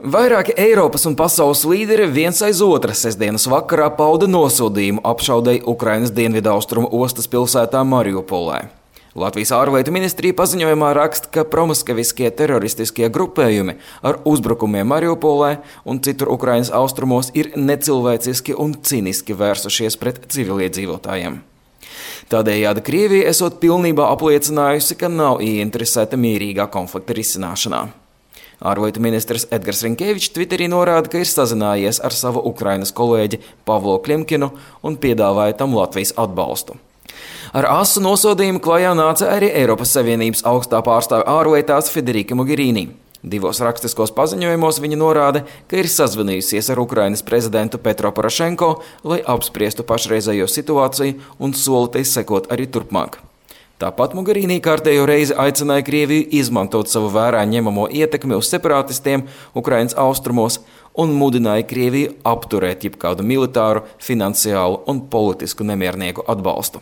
Vairāki Eiropas un pasaules līderi viens aiz otra sestdienas vakarā pauda nosodījumu apšaudei Ukrainas dienvidaustrumu ostas pilsētā Mariupolē. Latvijas ārlietu ministrija paziņojumā raksta, ka promoskaviskie teroristiskie grupējumi ar uzbrukumiem Mariupolē un citur Ukrainas austrumos ir necilvēciski un ciniski vērsušies pret civiliedzīvotājiem. Tādējādi Krievija esot pilnībā apliecinājusi, ka nav ieinteresēta mierīgā konflikta risināšanā. Ārlietu ministrs Edgars Rinkevičs Twitterī norāda, ka ir sazinājies ar savu Ukrainas kolēģi Pavlo Klimkinu un piedāvāja tam Latvijas atbalstu. Ar asu nosodījumu klajā nāca arī Eiropas Savienības augstā pārstāve ārlietās Federica Mogherini. Divos rakstiskos paziņojumos viņa norāda, ka ir sazvanījusies ar Ukrainas prezidentu Petro Porošenko, lai apspriestu pašreizējo situāciju un solīja sekot arī turpmāk. Tāpat Mogherini kārtējo reizi aicināja Krieviju izmantot savu vērā ņemamo ietekmi uz separatistiem Ukrainas austrumos un mudināja Krieviju apturēt jebkādu militāru, finansiālu un politisku nemiernieku atbalstu.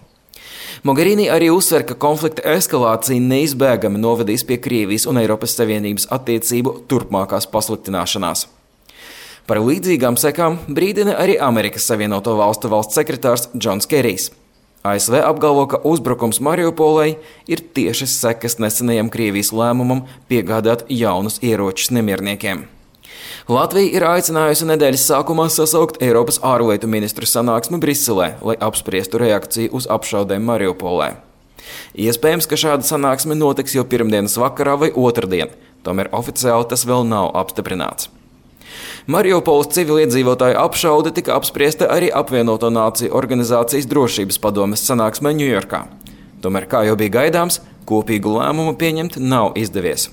Mogherini arī uzsver, ka konflikta eskalācija neizbēgami novedīs pie Krievijas un Eiropas Savienības attiecību turpmākās pasliktināšanās. Par līdzīgām sekām brīdina arī Amerikas Savienoto Valstu valsts sekretārs Džons Kerijs. ASV apgalvo, ka uzbrukums Mariupolei ir tiešas sekas nesenajam Krievijas lēmumam piegādāt jaunus ieročus nemierniekiem. Latvija ir aicinājusi nedēļas sākumā sasaukt Eiropas ārlietu ministru sanāksmi Briselē, lai apspriestu reakciju uz apšaudēm Mariupolē. Iespējams, ka šāda sanāksme notiks jau pirmdienas vakarā vai otrdien, tomēr oficiāli tas vēl nav apstiprināts. Mariupoles civiliedzīvotāju apšaude tika apspriesta arī Apvienoto Nāciju organizācijas drošības padomes sanāksmē Ņujorkā. Tomēr, kā jau bija gaidāms, kopīgu lēmumu pieņemt nav izdevies.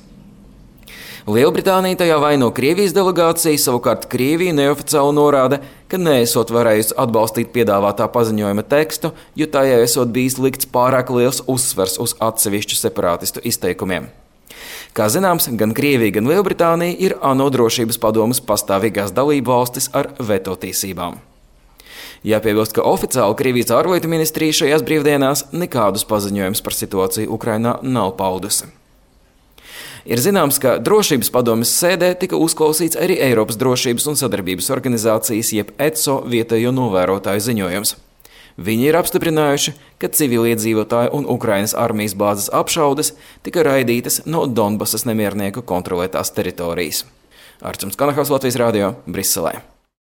Lielbritānija tajā vaino Krievijas delegāciju, savukārt Krievija neoficiāli norāda, ka neesot varējusi atbalstīt piedāvātā paziņojuma tekstu, jo tajā esot bijis likts pārāk liels uzsvers uz atsevišķu separātistu izteikumiem. Kā zināms, gan Krievija, gan Lielbritānija ir ANO drošības padomes pastāvīgās dalību valstis ar veto tiesībām. Jāpiebilst, ka oficiāli Krievijas ārlietu ministrija šajās brīvdienās nekādus paziņojumus par situāciju Ukrainā nav paudusi. Ir zināms, ka drošības padomes sēdē tika uzklausīts arī Eiropas drošības un sadarbības organizācijas jeb ECO vietējo novērotāju ziņojums. Viņi ir apstiprinājuši, ka civiliedzīvotāju un Ukrainas armijas bāzes apšaudes tika raidītas no Donbasas nemiernieku kontrolētās teritorijas. Arčuns Kanahals, Latvijas radio, Briselē.